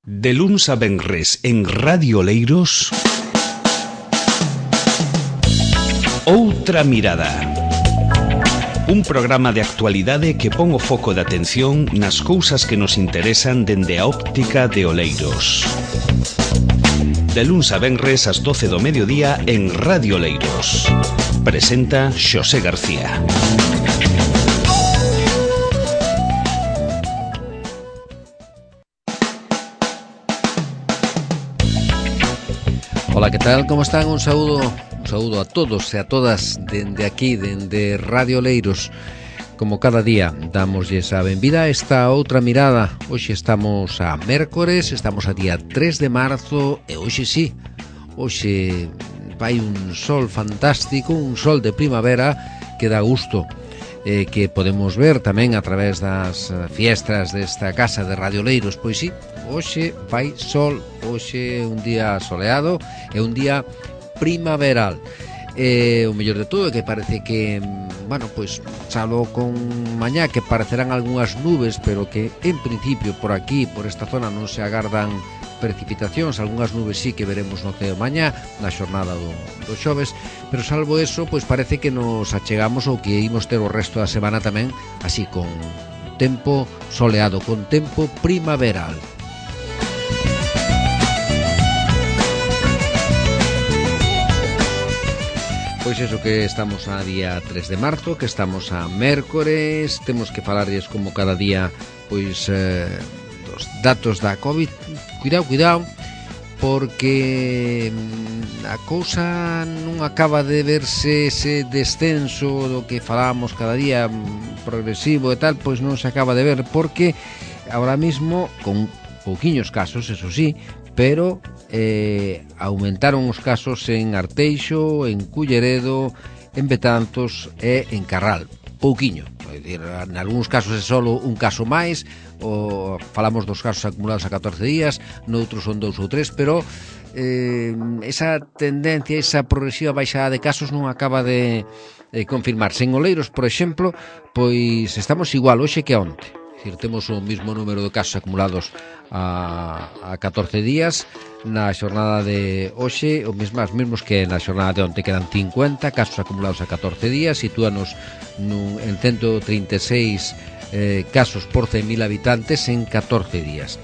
De luns a venres en Radio Oleiros, Outra Mirada. Un programa de actualidade que pon o foco de atención nas cousas que nos interesan dende a óptica de Oleiros. De luns a venres ás 12 do mediodía en Radio Oleiros. Presenta Xosé García. Ola, que tal? Como están? Un saúdo a todos e a todas dende aquí, dende Radio Oleiros. Como cada día, damosles a benvida a esta outra mirada. Hoxe estamos a mércores, estamos a día 3 de marzo e hoxe sí, hoxe vai un sol fantástico, un sol de primavera que dá gusto. Que podemos ver tamén a través das fiestras desta casa de Radio Oleiros. Pois sí, hoxe vai sol, hoxe é un día soleado, é un día primaveral. O mellor de todo é que parece que, bueno, pois chalo con mañá que parecerán algunhas nubes, pero que en principio por aquí, por esta zona non se agardan precipitacións, algunhas nubes sí que veremos no ceo mañá, na xornada do xoves, pero salvo eso, pois parece que nos achegamos ao que imos ter o resto da semana tamén, así con tempo soleado, con tempo primaveral. Pois eso, que estamos a día 3 de marzo, que estamos a mércores, temos que falarlles como cada día, pois, dos datos da COVID. Cuidado, porque a cousa non acaba de verse ese descenso do que falábamos cada día progresivo e tal, pois non se acaba de ver, porque ahora mismo, con pouquiños casos, eso sí, pero aumentaron os casos en Arteixo, en Culleredo, en Betanzos e en Carral. Pouquiño, é dicir, en algúns casos é só un caso máis, ou falamos dos casos acumulados a 14 días, noutros son 2 ou 3, pero esa tendencia, esa progresiva baixada de casos non acaba de confirmarse. En Oleiros, por exemplo, pois estamos igual hoxe que onte. É dicir, temos o mesmo número de casos acumulados a 14 días. Na xornada de hoxe, os mesmos que na xornada de onte, quedan 50 casos acumulados a 14 días, sitúanos en 136 casos por 100.000 habitantes en 14 días.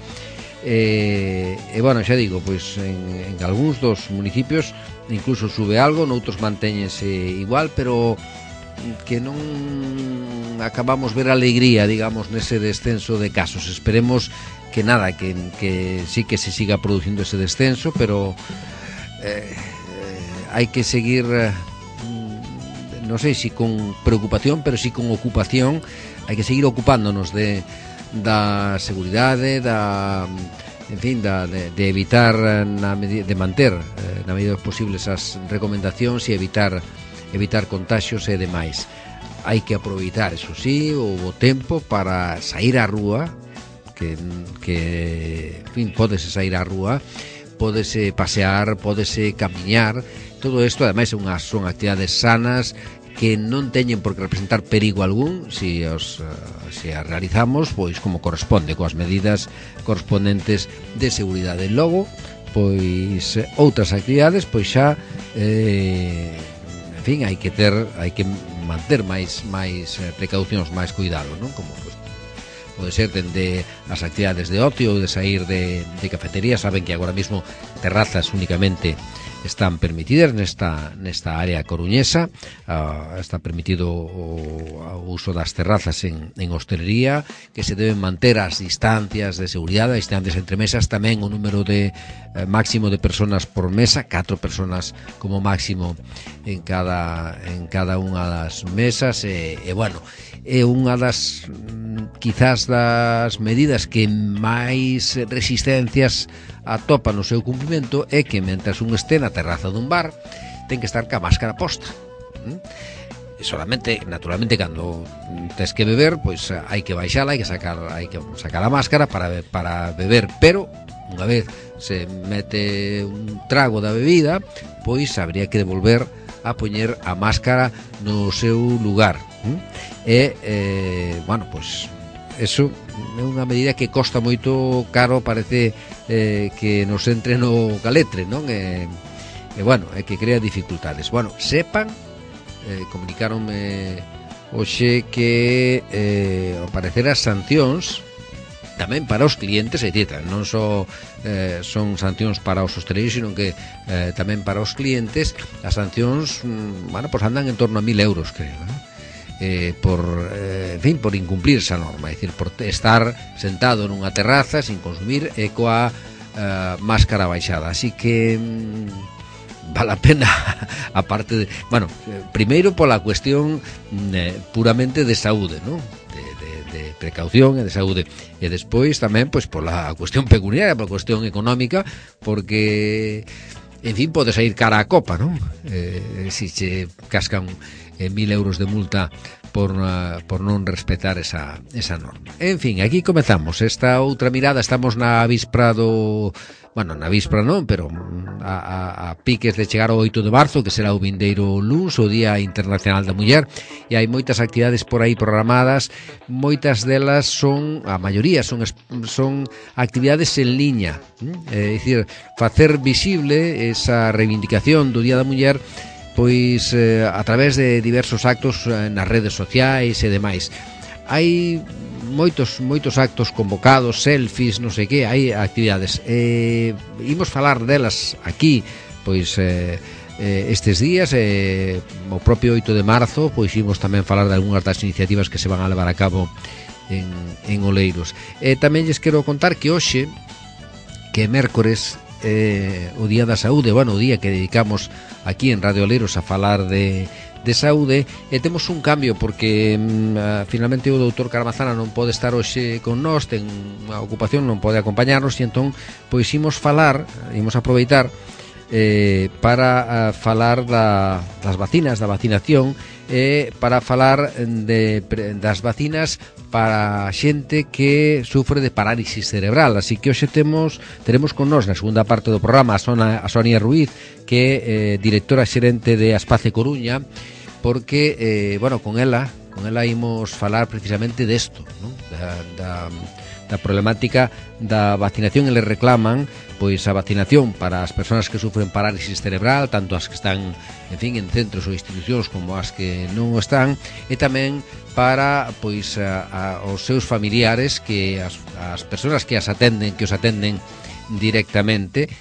Bueno, xa digo, pois en algúns dos municipios incluso sube algo, noutros mantéñense igual, pero que non acabamos ver alegría, digamos, nese descenso de casos. Esperemos que nada, que sí que se siga producindo ese descenso, pero hai que seguir, non sei si con preocupación, pero sí con ocupación. Hai que seguir ocupándonos da seguridade, de evitar, de manter na medida dos posibles as recomendacións e evitar contaxios e demais. Hai que aproveitar, eso sí, o tempo para sair á rúa, que en fin, pódese sair á rúa, pódese pasear, pódese camiñar. Todo isto, ademais, son actividades sanas que non teñen por que representar perigo algún se as realizamos pois como corresponde, coas medidas correspondentes de seguridade. Logo, pois outras actividades, pois xa en fin, hai que manter máis precaucións, máis cuidado, non? Como pois pode ser dende as actividades de ocio ou de sair de cafetería. Saben que agora mesmo terrazas únicamente están permitidas nesta área coruñesa. Está permitido o uso das terrazas en hostelería, que se deben manter as distancias de seguridade, as distancias entre mesas, tamén o número de máximo de personas por mesa, 4 personas como máximo en cada unha das mesas. Bueno, é unha das quizás das medidas que máis resistencias atopa no seu cumprimento, é que mentras un este na terraza dun bar ten que estar ca máscara posta. Solamente, naturalmente, cando tes que beber, pois hai que baixala, hai que sacar a máscara para beber, pero unha vez se mete un trago da bebida, pois habría que devolver a poñer a máscara no seu lugar. Bueno, pois eso é unha medida que costa moito caro, parece que nos entre no caletre, non? Bueno, é que crea dificultades. Bueno, sepan, comunicáronme hoxe que ao parecer as sancións tamén para os clientes, é dicir, non só son sancións para os hosteleiros, sino que tamén para os clientes. As sancións, bueno, pues andan en torno a 1.000 euros, creo, en fin, por incumplir esa norma, é dicir, por estar sentado nunha terraza sin consumir e coa máscara baixada. Así que vale a pena, aparte de, bueno, primeiro pola cuestión puramente de saúde, non? De precaución e de saúde, e despois tamén pois pola cuestión pecuniaria, pola cuestión económica, porque en fin, pode sair cara a copa, non? Si che cascan 1.000 euros de multa por non respetar esa norma. En fin, aquí comezamos esta outra mirada. Estamos na víspera do... Bueno, na víspera non, pero a piques de chegar ao 8 de marzo, que será o vindeiro luns, o Día Internacional da Muller, e hai moitas actividades por aí programadas. Moitas delas son, a maioría son actividades en liña, é dicir, facer visible esa reivindicación do Día da Muller pois a través de diversos actos nas redes sociais e demais. Hai moitos actos convocados, selfies, non sei que, hai actividades. Imos falar delas aquí, pois estes días, o propio 8 de marzo, pois imos tamén falar de algunhas das iniciativas que se van a levar a cabo en Oleiros. Tamén lles quero contar que hoxe, que é mércores, o Día da Saúde, bueno, o día que dedicamos aquí en Radio Oleiros a falar de saúde, e temos un cambio porque finalmente o doutor Carmazana non pode estar hoxe con nós, ten unha ocupación, non pode acompañarnos, e entón pois imos aproveitar para falar das vacinas, da vacinación, para falar das vacinas para xente que sufre de parálisis cerebral. Así que hoxe teremos con nós na segunda parte do programa a Sonia Ruiz, que é directora xerente de Aspace Coruña, porque, bueno, con ela imos falar precisamente desto, non? Da problemática da vacinación. Eles reclaman pois a vacinación para as persoas que sufren parálisis cerebral, tanto as que están, en fin, en centros ou institucións como as que non o están, e tamén para pois os seus familiares, que as persoas que os atenden directamente.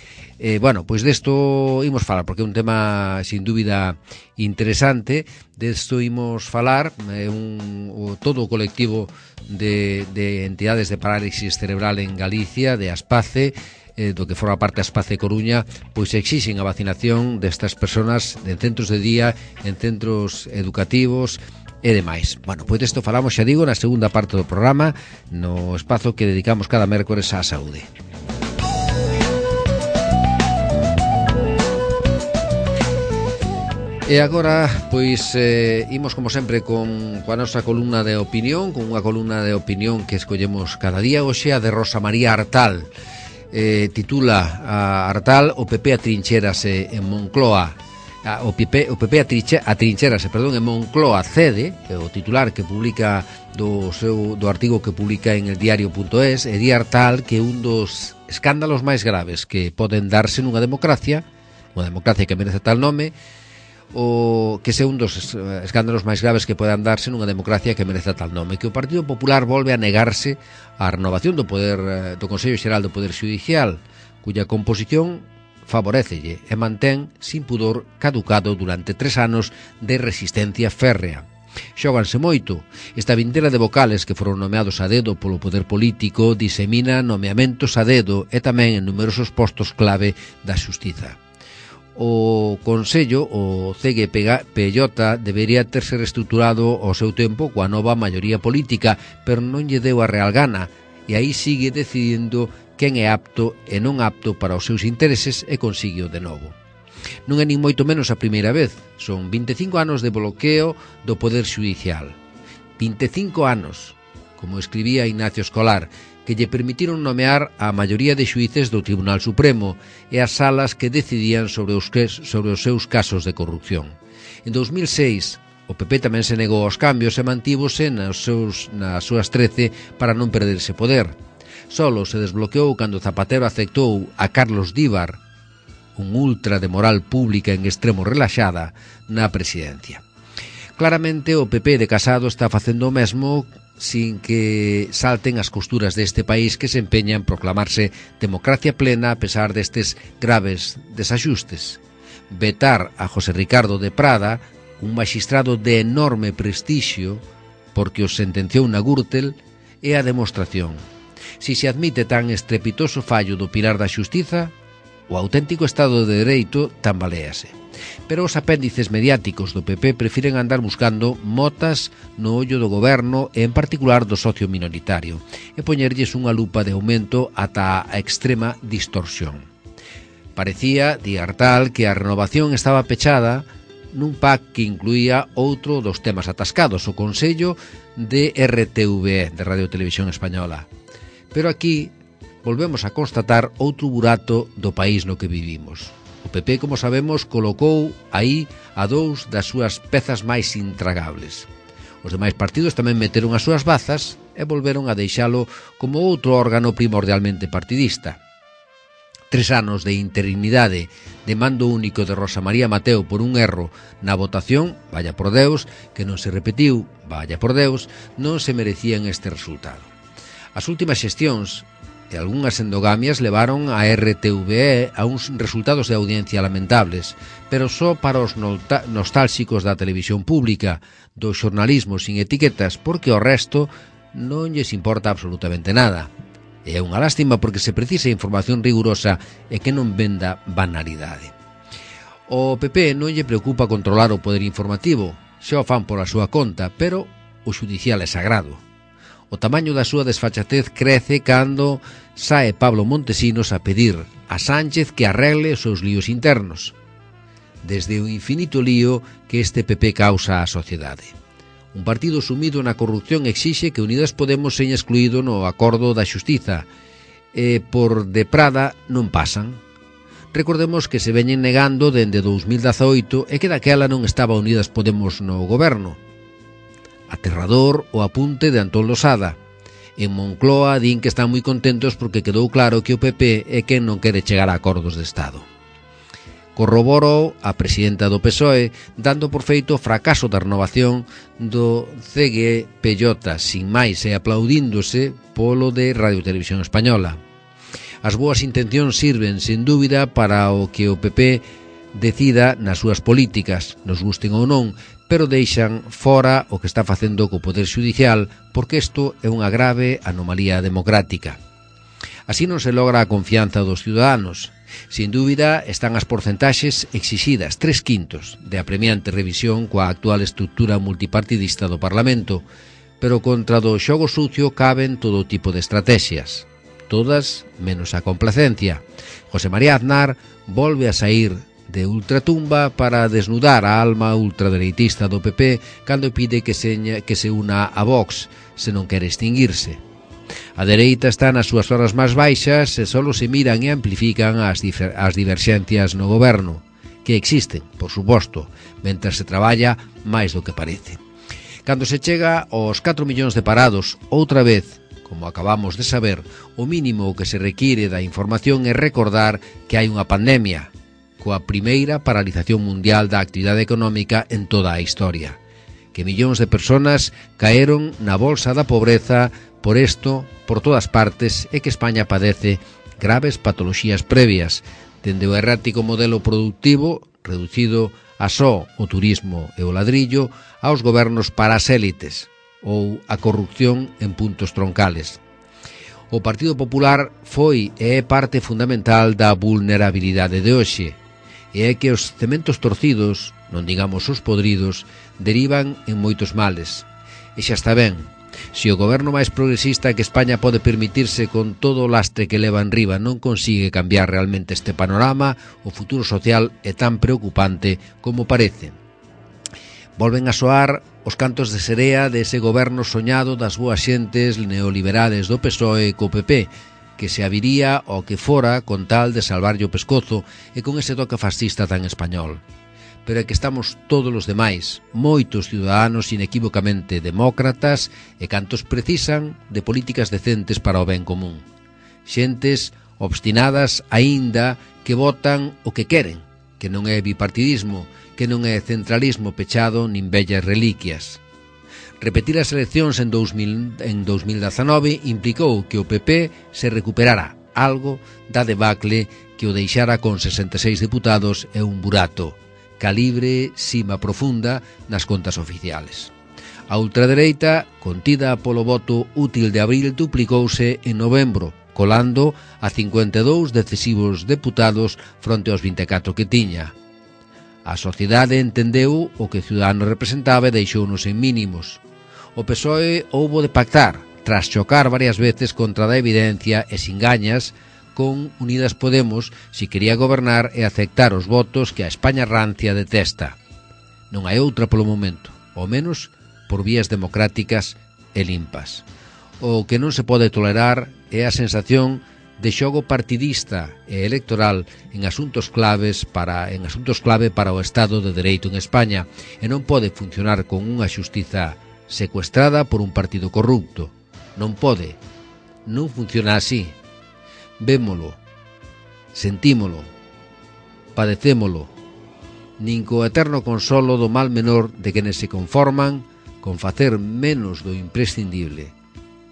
Bueno, pois desto imos falar, porque é un tema sin dúbida interesante. Desto imos falar, todo o colectivo de entidades de parálisis cerebral en Galicia, de Aspace, do que forma parte a Aspace Coruña, pois exixen a vacinación destas persoas en centros de día, en centros educativos e demais. Bueno, pois desto falamos, xa digo, na segunda parte do programa, no espazo que dedicamos cada mércores á saúde. E agora, pois, imos como sempre coa nosa columna de opinión, con unha columna de opinión que escollemos cada día. Hoxe a de Rosa María Artal, titula a Artal: o PP atrinchérase en Moncloa. O PP atrinchérase, en Moncloa cede, o titular que publica do artigo que publica en el diario.es. E di Artal que un dos escándalos máis graves que poden darse nunha democracia que merece tal nome, o que sea un dos escándalos máis graves que podan darse nunha democracia que merece tal nome, que o Partido Popular volve a negarse á renovación do poder do Consello Xeral do Poder Xudicial, cuya composición favorécelle e mantén sin pudor caducado durante 3 anos de resistencia férrea. Xóganse moito. Esta vintera de vocales que foron nomeados a dedo polo poder político disemina nomeamentos a dedo e tamén en numerosos postos clave da xustiza. O Consello, o CGPJ, debería terse reestruturado ao seu tempo coa nova maioría política, pero non lle deu a real gana, e aí sigue decidindo quen é apto e non apto para os seus intereses e consigue de novo. Non é nin moito menos a primeira vez, son 25 anos de bloqueo do Poder Xudicial. 25 anos, como escribía Ignacio Escolar, que lle permitiron nomear a maioría de xuíces do Tribunal Supremo e as salas que decidían sobre os seus casos de corrupción. En 2006, O PP tamén se negou aos cambios e mantívose nas súas 13 para non perderse poder. Solo se desbloqueou cando Zapatero aceptou a Carlos Díbar, un ultra de moral pública en extremo relaxada, na presidencia. Claramente o PP de Casado está facendo o mesmo sin que salten as costuras deste país que se empeña en proclamarse democracia plena a pesar destes graves desaxustes. Vetar a José Ricardo de Prada, un magistrado de enorme prestixio, porque os sentenciou na Gürtel, é a demostración. Si se admite tan estrepitoso fallo do pilar da xustiza, o auténtico Estado de Dereito tambaléase. Pero os apéndices mediáticos do PP prefiren andar buscando motas no ollo do goberno e en particular do socio minoritario e poñerlles unha lupa de aumento ata a extrema distorsión. Parecía, di Artal, que a renovación estaba pechada nun pack que incluía outro dos temas atascados, o Consello de RTVE, de Radio Televisión Española. Pero aquí volvemos a constatar outro burato do país no que vivimos. O PP, como sabemos, colocou aí a dous das súas pezas máis intragables. Os demais partidos tamén meteron as súas bazas e volveron a deixalo como outro órgano primordialmente partidista. 3 anos de interinidade de mando único de Rosa María Mateo por un erro na votación, vaya por Deus, que non se repetiu, vaya por Deus, non se merecían este resultado. As últimas xestións e algunhas endogamias levaron a RTVE a uns resultados de audiencia lamentables, pero só para os nostálxicos da televisión pública, do xornalismo sin etiquetas, porque o resto non lles importa absolutamente nada. É unha lástima porque se precisa información rigurosa e que non venda banalidade. O PP non lle preocupa controlar o poder informativo, xa o fan pola súa conta, pero o xudicial é sagrado. O tamaño da súa desfachatez crece cando sae Pablo Montesinos a pedir a Sánchez que arregle os seus líos internos, desde o infinito lío que este PP causa á sociedade. Un partido sumido na corrupción exixe que Unidas Podemos seña excluído no acordo da xustiza e por de Prada non pasan. Recordemos que se veñen negando dende 2018 e que daquela non estaba Unidas Podemos no goberno. Aterrador o apunte de Antón Losada. En Moncloa din que están moi contentos porque quedou claro que o PP é quen non quere chegar a acordos de Estado. Corroborou a presidenta do PSOE dando por feito o fracaso da renovación do CGPJ, sin máis e aplaudíndose polo de Radio Televisión Española. As boas intencións sirven, sen dúbida, para o que o PP decida nas súas políticas, nos gusten ou non, pero deixan fora o que está facendo co Poder Xudicial, porque isto é unha grave anomalía democrática. Así non se logra a confianza dos ciudadanos. Sin dúbida, están as porcentaxes exixidas, 3/5 de apremiante revisión coa actual estructura multipartidista do Parlamento, pero contra do xogo sucio caben todo tipo de estrategias, todas menos a complacencia. José María Aznar volve a sair de ultratumba para desnudar a alma ultradereitista do PP cando pide que se una a Vox se non quere extinguirse. A dereita está nas súas horas máis baixas e só se miran e amplifican as diverxencias no goberno, que existen, por suposto, mentre se traballa máis do que parece. Cando se chega aos 4 millóns de parados, outra vez, como acabamos de saber, o mínimo que se require da información é recordar que hai unha pandemia, coa primeira paralización mundial da actividade económica en toda a historia, que millóns de persoas caeron na bolsa da pobreza por isto, por todas partes, é que España padece graves patoloxías previas, dende o errático modelo productivo, reducido a só o turismo e o ladrillo, aos gobernos para as élites, ou a corrupción en puntos troncales. O Partido Popular foi e é parte fundamental da vulnerabilidade de hoxe, e é que os cementos torcidos, non digamos os podridos, derivan en moitos males. E xa está ben. Se o goberno máis progresista que España pode permitirse con todo o lastre que leva en riba non consigue cambiar realmente este panorama, o futuro social é tan preocupante como parece. Volven a soar os cantos de serea dese goberno soñado das boas xentes neoliberales do PSOE co PP, que se aviría ao que fora con tal de salvarlle o pescozo e con ese toque fascista tan español. pero é que estamos todos os demais, moitos ciudadanos inequívocamente demócratas e cantos precisan de políticas decentes para o ben común. Xentes obstinadas aínda que votan o que queren, que non é bipartidismo, que non é centralismo pechado nin vellas reliquias. Repetir as eleccións en 2019 implicou que o PP se recuperara algo da debacle que o deixara con 66 deputados e un burato, calibre sima profunda nas contas oficiales. A ultradereita, contida polo voto útil de abril, duplicouse en novembro, colando a 52 decisivos deputados fronte aos 24 que tiña. A sociedade entendeu o que Ciudadanos representaba e deixounos en mínimos. O PSOE houbo de pactar, tras chocar varias veces contra a evidencia e sin gañas, con Unidas Podemos si quería gobernar e aceptar os votos que a España rancia detesta. Non hai outra polo momento, ao menos por vías democráticas e limpas. O que non se pode tolerar é a sensación de xogo partidista e electoral en asuntos clave para o Estado de Dereito en España e non pode funcionar con unha xustiza secuestrada por un partido corrupto. Non pode. Non funciona así. Vémolo, sentímolo, padecémolo, nin co eterno consolo do mal menor de quenes se conforman con facer menos do imprescindible.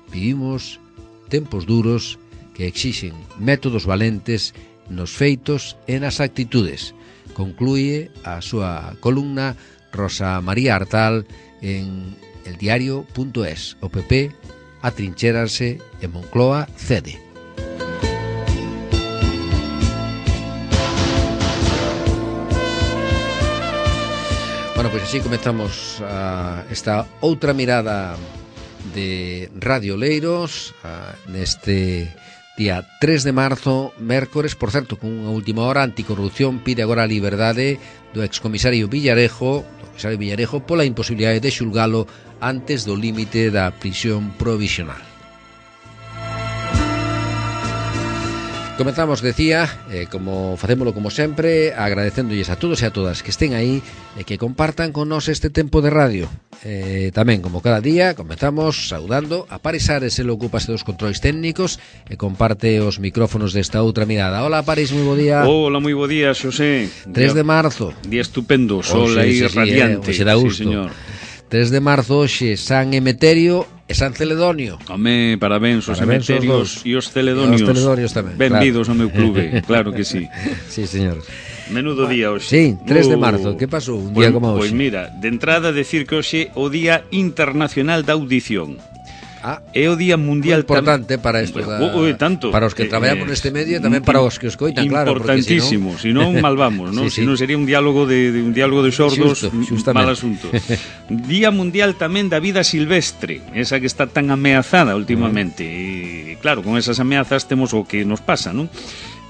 Vivimos tempos duros que exixen métodos valentes nos feitos e nas actitudes, conclúe a súa columna Rosa María Artal en eldiario.es. O PP atrinchérase e Moncloa cede. Bueno, pois así comezamos esta outra mirada de Radio Oleiros neste día 3 de marzo, mércores, por certo, con unha última hora. Anticorrupción pide agora a liberdade do excomisario Villarejo, pola imposibilidade de xulgalo antes do límite da prisión provisional. Comezamos, decía, como facémolo como sempre, agradecéndolles a todos e a todas que estén aí e que compartan con nós este tempo de radio. Tamén, como cada día, comezamos saudando a Paris Ares, ele ocúpase dos controis técnicos e comparte os micrófonos desta outra mirada. Hola, Paris, moi bo día. Hola, moi bo día, Xosé. 3 de marzo. Día estupendo, sol aí radiante. Hoxe dá gusto. Sí, señor. 3 de marzo, hoxe, San Emeterio e San Celedonio. Home, parabéns aos Emeterios e os Celedonios. Os Celedonios tamén. Benvidos ao meu clube, claro que sí. Sí, señor. Menudo día hoxe. Sí, 3 de marzo, que pasou un día como hoxe? Pois mira, de entrada decir que hoxe o Día Internacional da Audición. É o Día Mundial importante para isto tanto para os que traballamos neste medio e tamén para os que os coitan, claro, importantísimo, se non mal vamos, non? Sí, se non sería un diálogo de sordos, mal asunto. Día Mundial tamén da vida silvestre, esa que está tan ameazada últimamente. E claro, con esas ameazas temos o que nos pasa, non?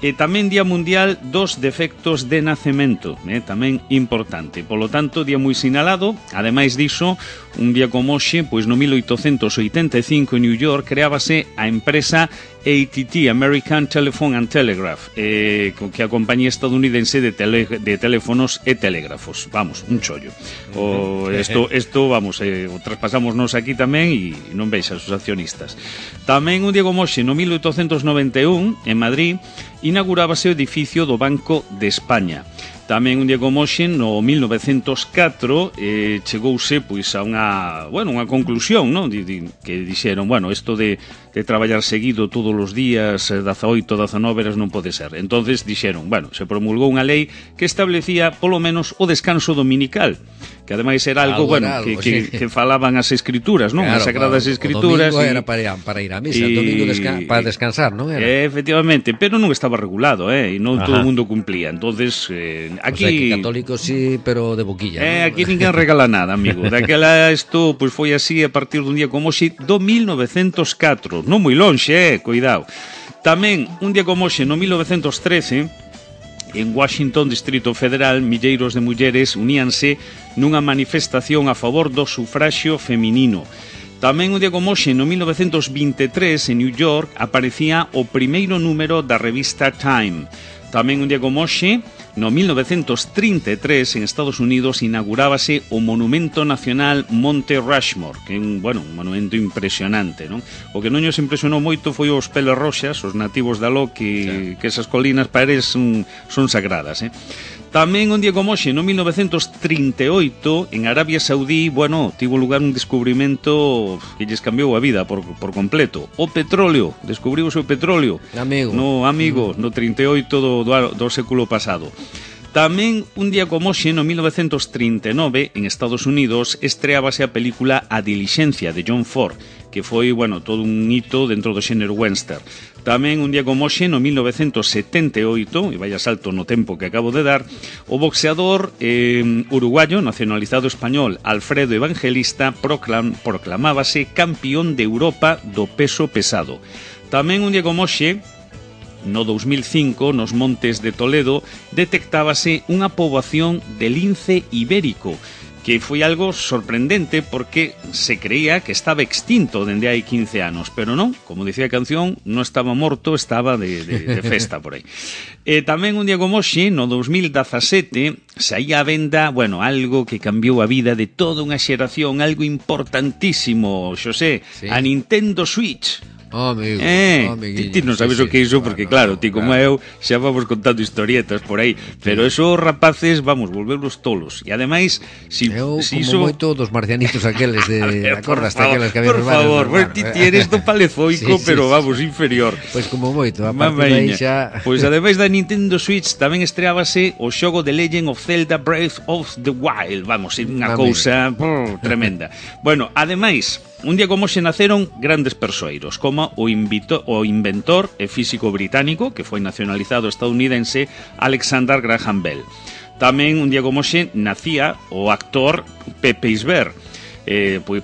E tamén Día Mundial dos Defectos de Nacemento, tamén importante. Polo tanto, día moi sinalado. Ademais diso, un día como hoxe, pois no 1885 en New York creábase a empresa AT&T, American Telephone and Telegraph, que a compañía estadounidense de teléfonos e telégrafos. Vamos, un chollo. Esto vamos, o traspasámonos aquí tamén e non veixas os accionistas. Tamén un día como hoxe, no 1891, en Madrid, inaugurábase o edificio do Banco de España. Tamén un día como hoxe, no 1904, chegouse pois a unha conclusión, non? Que dixeron, isto de traballar seguido todos os días, 18, 19 horas non pode ser. Entonces dixeron, se promulgou unha lei que establecía polo menos o descanso dominical, que ademais era algo que falaban as escrituras, non? As sagradas escrituras. O domingo era para ir a misa, o domingo para descansar, non era? Efectivamente, pero non estaba regulado, e non todo o mundo cumplía. Entonces, aquí católicos sí, pero de boquilla. Aquí ninguén regala nada, amigo. Daquela isto pois foi así a partir dun día como hoxe do 1904, non moi lonxe, cuidado. Tamén un día como hoxe no 1913, en Washington, Distrito Federal, milleiros de mulleres uníanse nunha manifestación a favor do sufraxio feminino. Tamén un día como hoxe, no 1923, en New York, aparecía o primeiro número da revista Time. Tamén un día como hoxe, no 1933 en Estados Unidos inaugurábase o Monumento Nacional Monte Rushmore, que é un monumento impresionante, non? O que non nos impresionou moito foi os peles roxas, os nativos da Lo, que esas colinas pares son sagradas, Tamén un día como hoxe, no 1938, en Arabia Saudí, tivo lugar un descubrimento que lles cambiou a vida por completo. O petróleo, descubriuse o petróleo. No 38 do século pasado. Tamén un día como hoxe, no 1939, en Estados Unidos, estreábase a película A Diligencia, de John Ford, que foi, todo un hito dentro do xénero western. Tamén un día como hoxe, no 1978, e vaya salto no tempo que acabo de dar, o boxeador uruguayo nacionalizado español Alfredo Evangelista proclamábase campeón de Europa do peso pesado. Tamén un día como hoxe, no 2005, nos montes de Toledo, detectábase unha poboación de lince ibérico, que foi algo sorprendente porque se creía que estaba extinto dende hai 15 anos, pero non, como dicía a canción, non estaba morto, estaba de festa por aí. Tamén un día como hoxe, no 2017, saía a venda, algo que cambiou a vida de toda unha xeración, algo importantísimo, Xosé, a Nintendo Switch. Amigo, ti non sabes o que é iso porque claro, ti como eu xa vamos contando historietas por aí, pero esos rapaces volverlos tolos. E ademais, como moito dos marcianitos aqueles de acordaste aqueles que había. Por favor, ti eres do palezoico, pero vamos, inferior. Pois como moito, a partir de aí xa. Pois ademais da Nintendo Switch tamén estreábase o xogo de Legend of Zelda Breath of the Wild. Vamos, é unha cousa tremenda. Ademais, un día como hoxe naceron grandes persoeiros, como o inventor e físico británico, que foi nacionalizado estadounidense, Alexander Graham Bell. Tamén un día como hoxe nacía o actor Pepe Isbert,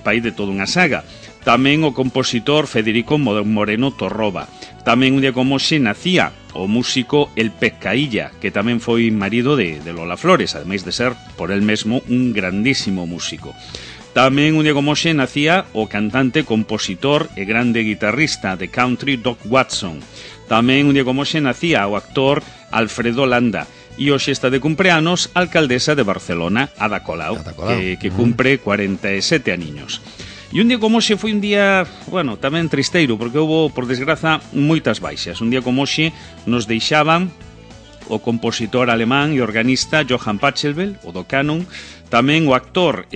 pai de toda unha saga. Tamén o compositor Federico Moreno Torroba. Tamén un día como hoxe nacía o músico El Pescailla, que tamén foi marido de Lola Flores, ademais de ser por el mesmo un grandísimo músico. Tamén un día como hoxe nacía o cantante, compositor e grande guitarrista de country Doc Watson. Tamén un día como hoxe nacía o actor Alfredo Landa. E hoxe está de cumpleanos a alcaldesa de Barcelona, Ada Colau, que cumpre 47 aniños. E un día como hoxe foi un día, tamén tristeiro, porque houve, por desgraza, moitas baixas. Un día como hoxe nos deixaban o compositor alemán e organista Johann Pachelbel, o do Canon, tamén o actor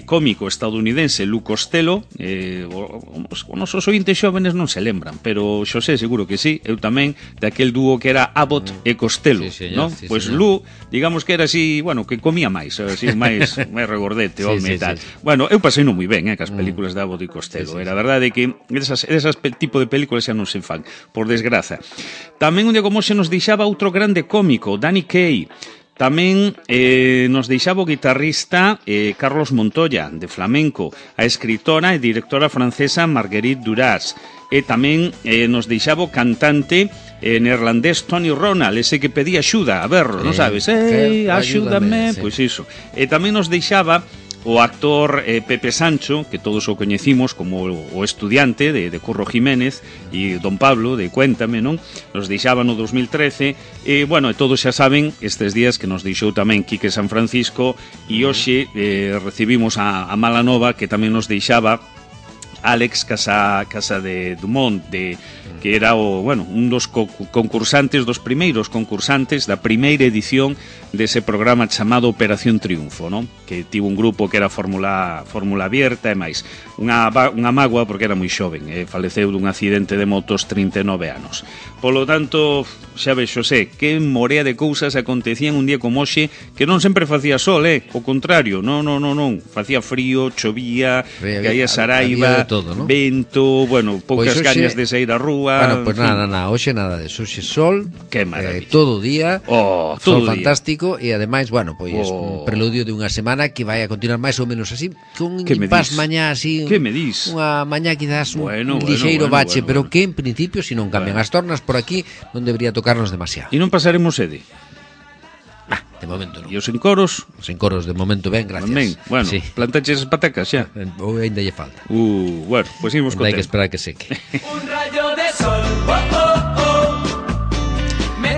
cómico estadounidense Lou Costello, os nosos ointes xóvenes non se lembran, pero Xosé seguro que sí, eu tamén, daquel dúo que era Abbott e Costello, non? Pois Lou, digamos que era así, que comía máis, así máis regordete, home e tal. Eu pasei non moi ben, cas películas de Abbott e Costello, era verdade que esas tipo de películas xa non se fan, por desgraza. Tamén un día como se nos deixaba outro grande cómico, Danny Kaye. Tamén nos deixaba o guitarrista Carlos Montoya, de flamenco, a escritora e directora francesa Marguerite Duras, e tamén nos deixaba o cantante neerlandés Tony Ronald, ese que pedía axuda, a berro, non sabes? Axúdame, pois iso. E tamén nos deixaba o actor Pepe Sancho, que todos o coñecimos como o estudiante de Curro Jiménez, e Don Pablo de Cuéntame, non? Nos deixaba no 2013 e, todos xa saben estes días que nos deixou tamén Quique San Francisco, e hoxe recibimos a mala nova que tamén nos deixaba Alex Casa de Dumont, que era un dos concursantes, dos primeiros concursantes da primeira edición dese programa chamado Operación Triunfo, non? Que tivo un grupo que era Fórmula Abierta e máis. Unha mágoa porque era moi xoven, faleceu dun accidente de motos 39 anos. Polo tanto, xa ves, Xosé, que morea de cousas acontecían un día como hoxe, que non sempre facía sol, o contrario, non, facía frío, chovía, caía saraiva, vento, poucas gañas de sair á rúa. Pois nada, hoxe nada de hoxe sol, que maravilla. Todo o día, sol fantástico, e ademais, un preludio de unha semana que vai a continuar máis ou menos así, con un impas mañá así, que me dis? Unha mañá quizás un lixeiro bache, pero que en principio, se non cambian as tornas por aquí, non debería tocarnos demasiado. E non pasaremos sede? De momento non. E os encoros? Os encoros de momento ben, gracias. Ben, plantaches as patacas xa? Ou ainda lle falta. Pois imos con tempo. Hai que esperar que seque. Un rayo de sol,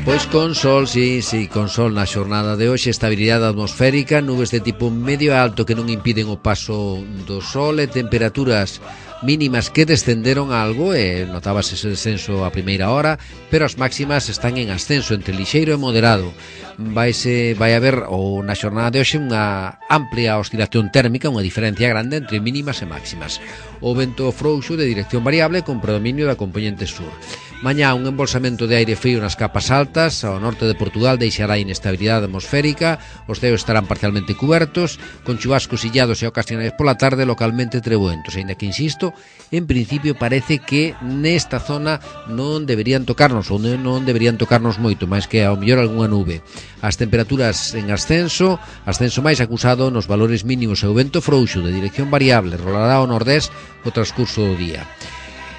Pois con sol, sí, con sol na xornada de hoxe, estabilidade atmosférica, nubes de tipo medio alto que non impiden o paso do sol e temperaturas mínimas que descenderon algo e notábase ese descenso a primeira hora, pero as máximas están en ascenso entre lixeiro e moderado. Vai haber na xornada de hoxe unha amplia oscilación térmica, unha diferencia grande entre mínimas e máximas. O vento frouxo de dirección variable con predominio da componente sur. Mañá un embolsamento de aire frío nas capas altas, ao norte de Portugal deixará inestabilidade atmosférica, os ceos estarán parcialmente cubertos, con chubascos illados e ocasionais pola tarde localmente trebuentos, aínda que, insisto, en principio parece que nesta zona non deberían tocarnos, ou non deberían tocarnos moito, máis que ao mellor algunha nube. As temperaturas en ascenso máis acusado nos valores mínimos e o vento frouxo de dirección variable rolará ao nordés o transcurso do día.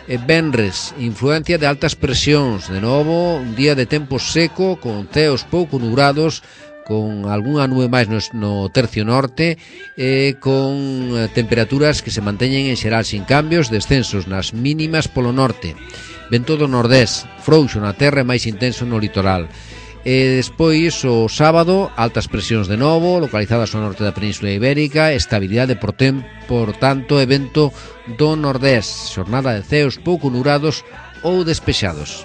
Venres, influencia de altas presións, de novo un día de tempo seco con ceos pouco nubrados, con algunha nube máis no tercio norte e con temperaturas que se manteñen en xeral sin cambios, descensos nas mínimas polo norte, vento do nordés, frouxo na terra e máis intenso no litoral. E despois o sábado, altas presións de novo, localizadas ao norte da Península Ibérica, estabilidade por tanto, e vento do nordés, xornada de ceos pouco nubrados ou despexados.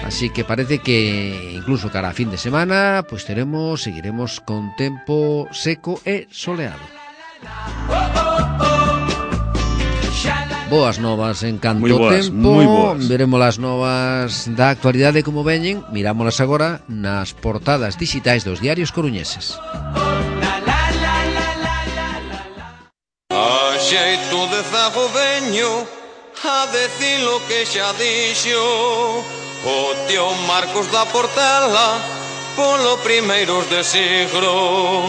Así que parece que incluso cara a fin de semana pois seguiremos con tempo seco e soleado. Boas novas en canto tempo, veremos as novas da actualidade como veñen, mirámolas agora nas portadas digitais dos diarios coruñeses. A xeito de zago veño a decir lo que xa dixo o tío Marcos da Portela polo primeiros de siglo,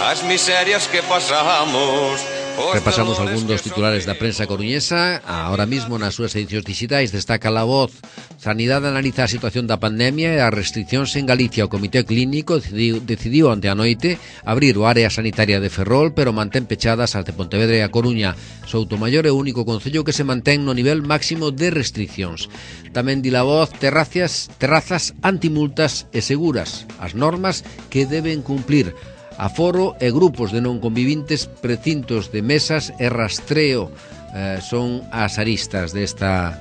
as miserias que pasamos. Repasamos algún dos titulares da prensa coruñesa. Ahora mismo nas súas edicións digitais destaca La Voz: Sanidade analiza a situación da pandemia e as restriccións en Galicia. O Comité Clínico decidiu onte a noite abrir o área sanitaria de Ferrol, pero mantén pechadas as de Pontevedra e a Coruña. Soutomaior é o único concello que se mantén no nivel máximo de restriccións. Tamén di La Voz: terrazas antimultas e seguras, as normas que deben cumplir. Aforo e grupos de non convivintes, precintos de mesas e rastreo son as aristas desta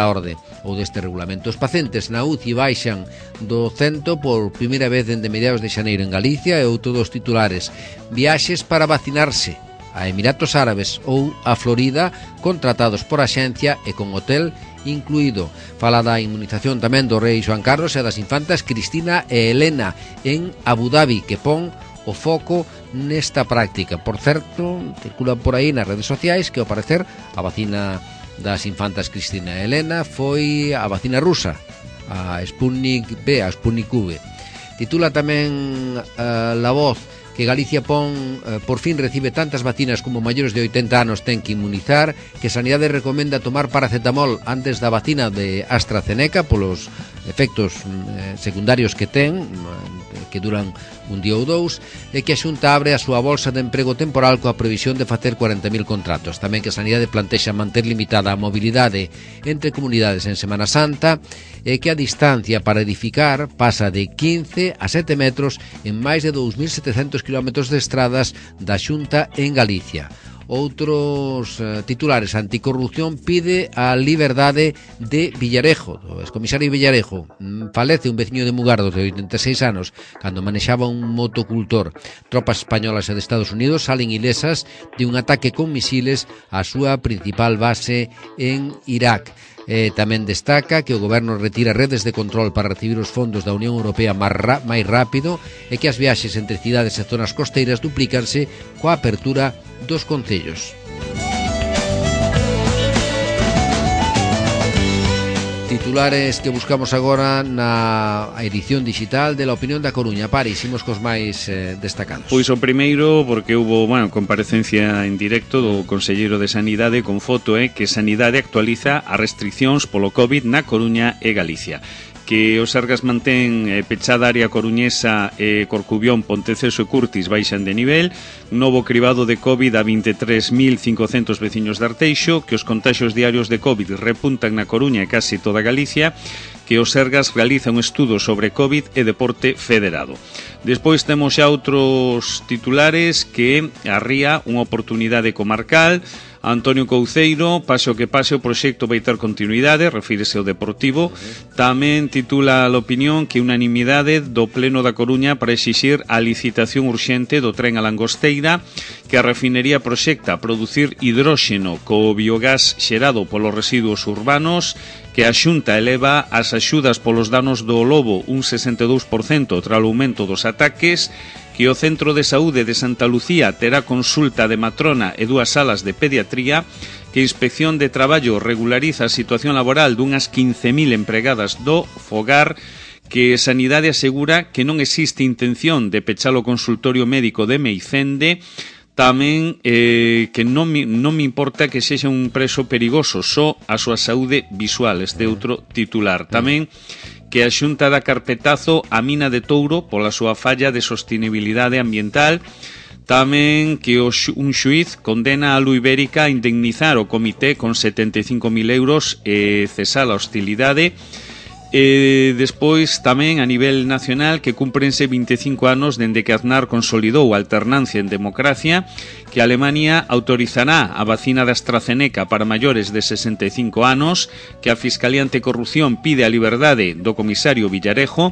orde ou deste regulamento. Os pacientes na UCI baixan do 100 por primeira vez dende mediados de xaneiro en Galicia, e outro dos titulares: viaxes para vacinarse a Emiratos Árabes ou a Florida contratados por axencia e con hotel incluído. Fala da inmunización tamén do rei Xoán Carlos e das infantas Cristina e Helena en Abu Dhabi, que pon o foco nesta práctica. Por certo, circulan por aí nas redes sociais que, ao parecer, a vacina das infantas Cristina e Helena foi a vacina rusa, a Sputnik B, a Sputnik V. Titula tamén La Voz que Galicia por fin recibe tantas vacinas como maiores de 80 anos ten que inmunizar, que Sanidade recomenda tomar paracetamol antes da vacina de AstraZeneca polos efectos secundarios que ten, que duran un día ou dous, e que a Xunta abre a súa bolsa de emprego temporal coa previsión de facer 40.000 contratos. Tamén que Sanidade plantexa manter limitada a mobilidade entre comunidades en Semana Santa, e que a distancia para edificar pasa de 15 a 7 metros en máis de 2.700 kilómetros de estradas da Xunta en Galicia. Outros titulares: Anticorrupción pide a liberdade de Villarejo, o excomisario Villarejo. Falece un veciño de Mugardos de 86 anos cando manexaba un motocultor. Tropas españolas e de Estados Unidos salen ilesas de un ataque con misiles á súa principal base en Irak. Tamén destaca que o goberno retira redes de control para recibir os fondos da Unión Europea máis rápido, e que as viaxes entre cidades e zonas costeiras duplícanse coa apertura dos concellos. Titulares que buscamos agora na edición digital de La Opinión da Coruña. Paris, imos cos máis destacados. Pois o primeiro, porque hubo comparecencia en directo do Conselleiro de Sanidade con foto que Sanidade actualiza as restriccións polo COVID na Coruña e Galicia. que o Sergas mantén pechada a área coruñesa Corcubión, Ponteceso e Curtis baixan de nivel, novo cribado de COVID a 23.500 veciños de Arteixo, que os contaxios diarios de COVID repuntan na Coruña e casi toda Galicia, que o Sergas realiza un estudo sobre COVID e deporte federado. Despois temos xa outros titulares que arría unha oportunidade comarcal. Antonio Couceiro, pase o que pase, o proxecto vai ter continuidade, refírese ao Deportivo. Tamén titula a opinión que unanimidade do Pleno da Coruña para exixir a licitación urxente do tren a Langosteira, que a refinería proxecta producir hidróxeno co biogás xerado polos residuos urbanos, que a Xunta eleva as axudas polos danos do lobo un 62% tras o aumento dos ataques, que o Centro de Saúde de Santa Lucía terá consulta de matrona e 2 salas de pediatría, que a Inspección de Traballo regulariza a situación laboral dunhas 15.000 empregadas do Fogar, que Sanidade asegura que non existe intención de pechar o consultorio médico de Meicende, tamén que non me importa que sexa un preso perigoso, só a súa saúde visual, este outro titular. Tamén que a Xunta dá carpetazo á mina de Touro pola súa falla de sostenibilidade ambiental. Tamén que un xuiz condena a Lu Ibérica a indemnizar o comité con 75.000 euros e cesar a hostilidade. Despois tamén a nivel nacional que cúmprense 25 anos dende que Aznar consolidou a alternancia en democracia, que Alemania autorizará a vacina da AstraZeneca para maiores de 65 anos, que a Fiscalía Anticorrupción pide a liberdade do comisario Villarejo,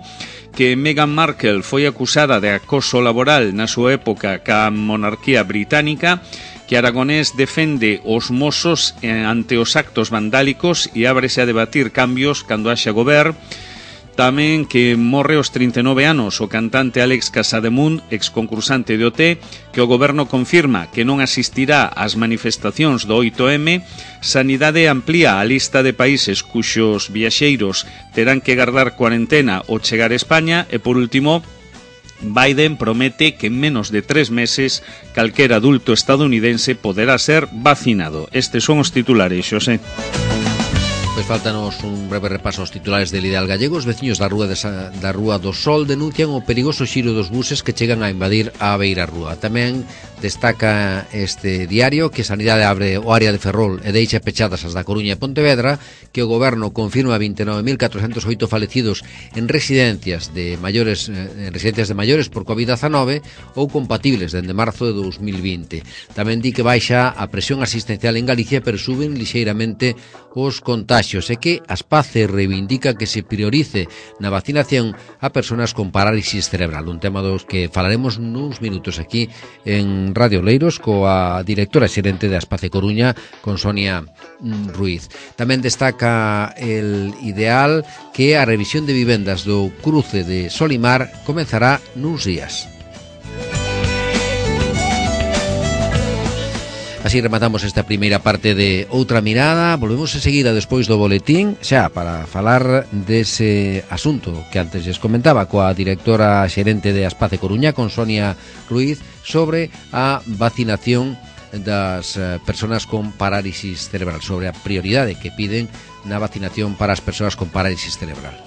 que Meghan Markle foi acusada de acoso laboral na súa época ca monarquía británica, que Aragonés defende os mozos ante os actos vandálicos e ábrese a debatir cambios cando haxa goberno. Tamén que morre aos 39 anos o cantante Alex Casademunt, exconcursante de OT, que o goberno confirma que non asistirá ás manifestacións do 8M. Sanidade amplía a lista de países cuxos viaxeiros terán que gardar cuarentena ao chegar a España. E por último, Biden promete que en menos de 3 meses calquera adulto estadounidense poderá ser vacinado. Estes son os titulares, Xosé. Pois faltanos un breve repaso aos titulares del Ideal Gallego. Os veciños da Rúa do Sol denuncian o perigoso xiro dos buses que chegan a invadir a Beira Rúa. Tamén destaca este diario que Sanidade abre o área de Ferrol e deixa pechadas as da Coruña e Pontevedra, que o goberno confirma 29.408 falecidos en residencias de maiores por COVID-19 ou compatibles dende marzo de 2020. Tamén di que baixa a presión asistencial en Galicia, pero suben lixeiramente os contaxios, e que Aspace reivindica que se priorice na vacinación a persoas con parálisis cerebral, un tema dos que falaremos nuns minutos aquí en Radio Oleiros coa directora xerente de Aspace Coruña, con Sonia Ruiz. Tamén destaca el Ideal que a revisión de vivendas do cruce de Solimar comenzará nuns días. Así rematamos esta primeira parte de Outra Mirada. Volvemos enseguida despois do boletín, xa para falar dese asunto que antes les comentaba coa directora xerente de Aspace Coruña, con Sonia Ruiz, sobre a vacinación das persoas con parálisis cerebral, sobre a prioridade que piden na vacinación para as persoas con parálisis cerebral.